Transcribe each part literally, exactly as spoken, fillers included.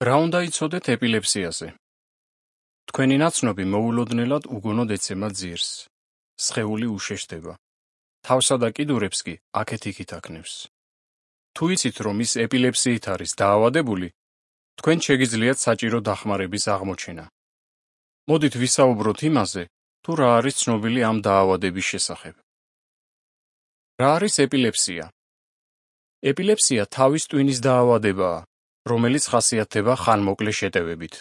რა უნდა იცოდეთ ეპილეფსიაზე? თქვენი ნაცნობი მოულოდნელად უგონოდ ეცემა ძირს, სხეული უშეშდება, თავსა და კიდურებს კი აქეთ-იქით აქნევს. თუ იცით, რომ ის ეპილეფსიით არის დაავადებული, თქვენ შეგიძლიათ საჭირო დახმარების აღმოჩენა. მოდით ვისაუბროთ იმაზე, თუ რა არის ცნობილი ამ დაავადების შესახებ. რა არის ეპილეფსია? ეპილეფსია თავის ტვინის დაავადებაა, რომელიც ხასიათდება ხანმოკლე შეტევებით,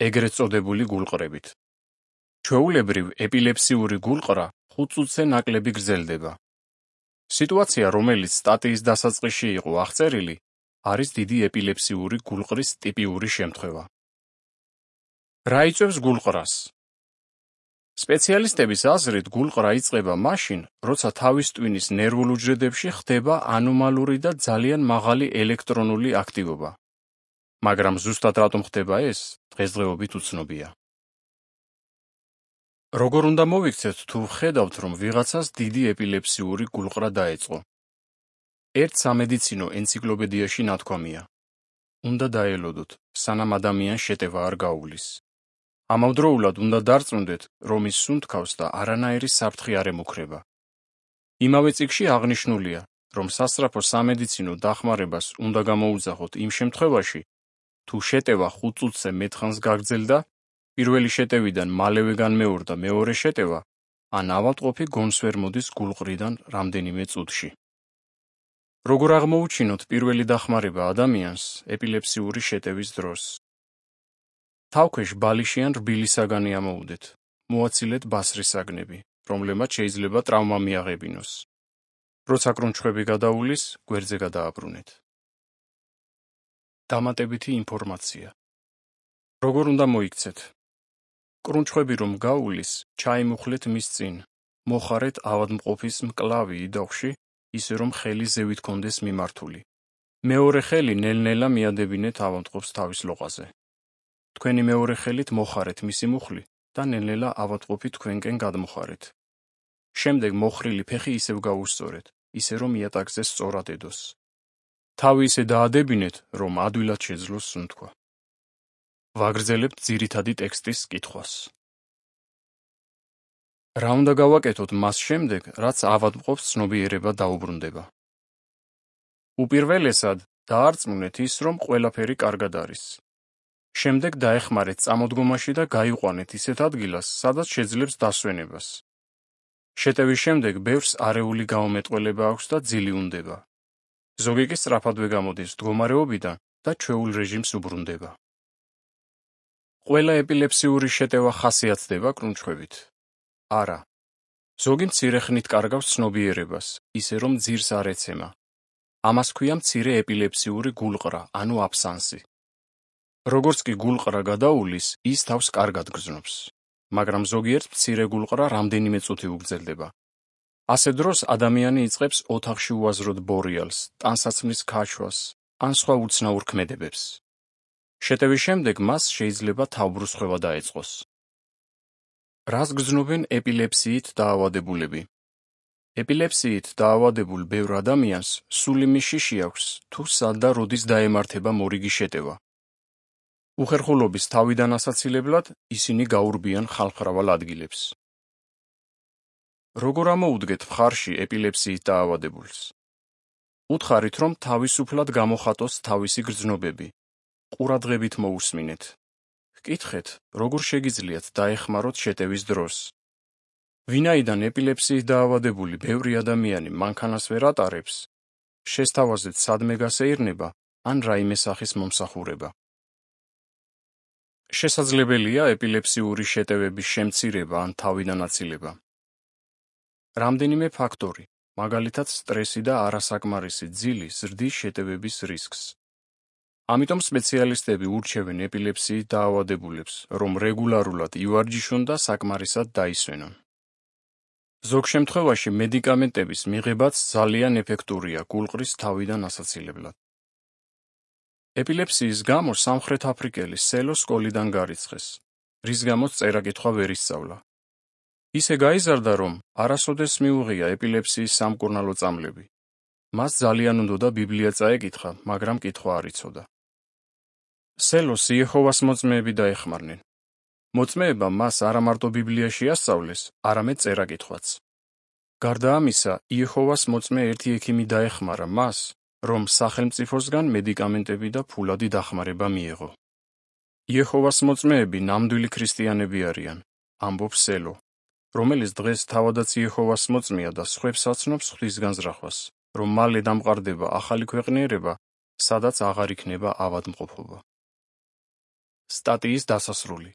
ეგრეთ წოდებული გულყრებით. ჩვეულებრივ ეპილეფსიური გულყრა ხუთ წუთზე ნაკლები გრძელდება. სიტუაცია, რომელიც სტატიის დასაწყისში იყო აღწერილი, არის დიდი ეპილეფსიური გულყრის ტიპიური შემთხვევა. რა იწვევს გულყრას? სპეციალისტების აზრით, გულყრა იწყება მაშინ, როცა თავის ტვინის ნერვულ უჯრედებში ხდება ანომალური და ძალიან მაღალი ელექტრონული აქტივობა. მაგრამ ზუსტად რატომ ხდება ეს, დღესდღეობით უცნობია. როგორ უნდა მოვიქცეთ, თუ ვხედავთ, რომ ვიღაცას დიდი ეპილეფსიური გულყრა დაეწყო? ერთ სამედიცინო ენციკლოპედიაში ნათქვამია: უნდა დაელოდოთ, სანამ ადამიანს შეტევა არ გაუვლის. ამავდროულად უნდა დარწმუნდეთ, რომ ის სუნთქავს და არანაირი საფრთხე არ ემუქრება. იმავე წიგნში აღნიშნულია, რომ სასწრაფო სამედიცინო დახმარებას უნდა გამოუძახოთ იმ შემთხვევაში, თუ შეტევა ხუთ წუთზე მეტხანს გაგრძელდა, პირველი შეტევიდან მალევე განმეორდა მეორე შეტევა, ან ავადმყოფი გონს ვერ მოდის გულყრიდან რამდენიმე წუთში. როგორ აღმოუჩინოთ პირველი დახმარება ადამიანს ეპილეფსიური შეტევის დროს? თავქვეშ ბალიში ან რბილი საგანი ამოუდეთ, მოაცილეთ ბასრის საგნები, რომლებმაც შეიძლება ტრავმა მიაღებინოს. როცა კრუნჩხვები გადაუვლის, გვერდზე გადააბრუნეთ. დამატებითი ინფორმაცია. როგორ უნდა მოიქცეთ? კრუნჩხვები რომ გაუვლის, ჩაიმუხლეთ მის წინ, მოხარეთ ავადმყოფის მკლავი იდაღვში, ისე რომ ხელი ზევით კონდეს მიმართული. მეორე ხელი ნელ-ნელა მიადებინეთ ავადმყოფს თავის ლოყაზე. თქვენი მეორე ხელით მოხარეთ მისი მუხლი და ნელ-ნელა ავადმყოფი თქვენკენ გადმოხარეთ. შემდეგ მოხრილი ფეხი ისევ გაუსწორეთ, ისე რომ იატაკზე სწორად ედოს. თავი ისე დაადებინეთ, რომ ადვილად შეძლოს სუნთქვა. ვაგრძელებთ ძირითადი ტექსტის კითხვას. რა უნდა გავაკეთოთ მას შემდეგ, რაც ავადმყოფს ცნობიერება დაუბრუნდება? უპირველესად, დაარწმუნეთ ის, რომ ყველაფერი კარგად არის. შემდეგ დაეხმარეთ წამოდგომაში და გაიყვანეთ ისეთ ადგილას, სადაც შეძლებს დასვენებას. შეტევის შემდეგ ბევრს არეული გაუმეტყველება აქვს და ძილი უნდება. ზოგი კი სწრაფადვე გამოდის მდგომარეობიდან და ჩვეულ რეჟიმს უბრუნდება. ყველა ეპილეფსიური შეტევა ხასიათდება კრუნჩხვებით? არა. ზოგი მცირე ხნით კარგავს ცნობიერებას, ისე რომ ძირს არ ეცემა. ამას ქვია მცირე ეპილეფსიური გულყრა, ანუ აბსანსი. როგორც კი გულყრა გადაუვლის, ის თავს კარგად გრძნობს, მაგრამ ზოგიერთ მცირე გულყრა რამდენიმე წუთი უგრძელდება. ასე დროს ადამიანი იწყებს ოთახში უაზროდ ბორიალს, ტანსაცმლის ქაშვას, ან სხვა უცნაურ ქმედებებს. შეტევის შემდეგ მას შეიძლება თავბრუსხვევა დაეწყოს. რას გრძნობენ ეპილეფსიით დაავადებულები? ეპილეფსიით დაავადებულ ბევრ ადამიანს სული მიშიში აქვს, თუ სად და როდის დაემართება მორიგი შეტევა. უხერხულობის თავიდან ასაცილებლად ისინი გაურბიან ხალხმრავალ ადგილებს. როგორ ამოუდგეთ მხარში ეპილეფსიით დაავადებულს? უთხარით, რომ თავისუფლად გამოხატოს თავისი გრძნობები. ყურადღებით მოусმინეთ. ჰკითხეთ, როგორ შეგიძლიათ დაეხმაროთ შეტევის დროს. ვინაიდან ეპილეფსიით დაავადებული ბევრი ადამიანი მანქანას ვერ ატარებს, შესთავაზეთ სადმე გასეირნება ან რაიმე სახის მომსახურება. შესაძლებელია ეპილეფსიური შეტევების შემცირება ან თავიდან აცილება. რამდენიმე ფაქტორი, მაგალითად სტრესი და არასაკმარისი ძილი ზრდის შეტევების რისკს. ამიტომ სპეციალისტები ურჩევენ ეპილეფსიით დაავადებულებს, რომ რეგულარულად ივარჯიშონ და საკმარისად დაისვენონ. ზოგ შემთხვევაში მედიკამენტების მიღებაც ძალიან ეფექტურია გულყრის თავიდან ასაცილებლად. ეპილეფსიის გამო სამხრეთ აფრიკელი სელო სკოლიდან გარიცხეს, რის გამოც წერა-კითხვა ვერ ისწავლა. ისე გაიზარდა, რომ არასოდეს მიუღია ეპილეფსიის სამკურნალო წამლები. მას ძალიან უნდოდა ბიბლია წაეკითხა, მაგრამ კითხვა არ იცოდა. სელოს იეჰოვას მოწმეები დაეხმარნენ. მოწმეებმა მას არა მარტო ბიბლიაში ასწავლეს, არამედ წერა-კითხვაც. გარდა ამისა, იეჰოვას მოწმე ერთი ექიმი დაეხმარა მას, რომ სახელმწიფოსგან მედიკამენტები და ფულადი დახმარება მიეღო. იეჰოვას მოწმეები ნამდვილი ქრისტიანები არიან, ამბობს სელო, რომელიც დღეს თავადაც იეჰოვას მოწმეა და სხვებს აცნობს ღვთის განზრახვას, რომ მალე დამყარდება ახალი ქვეყნიერება, სადაც აღარ იქნება ავადმყოფობა. სტატიის დასასრული.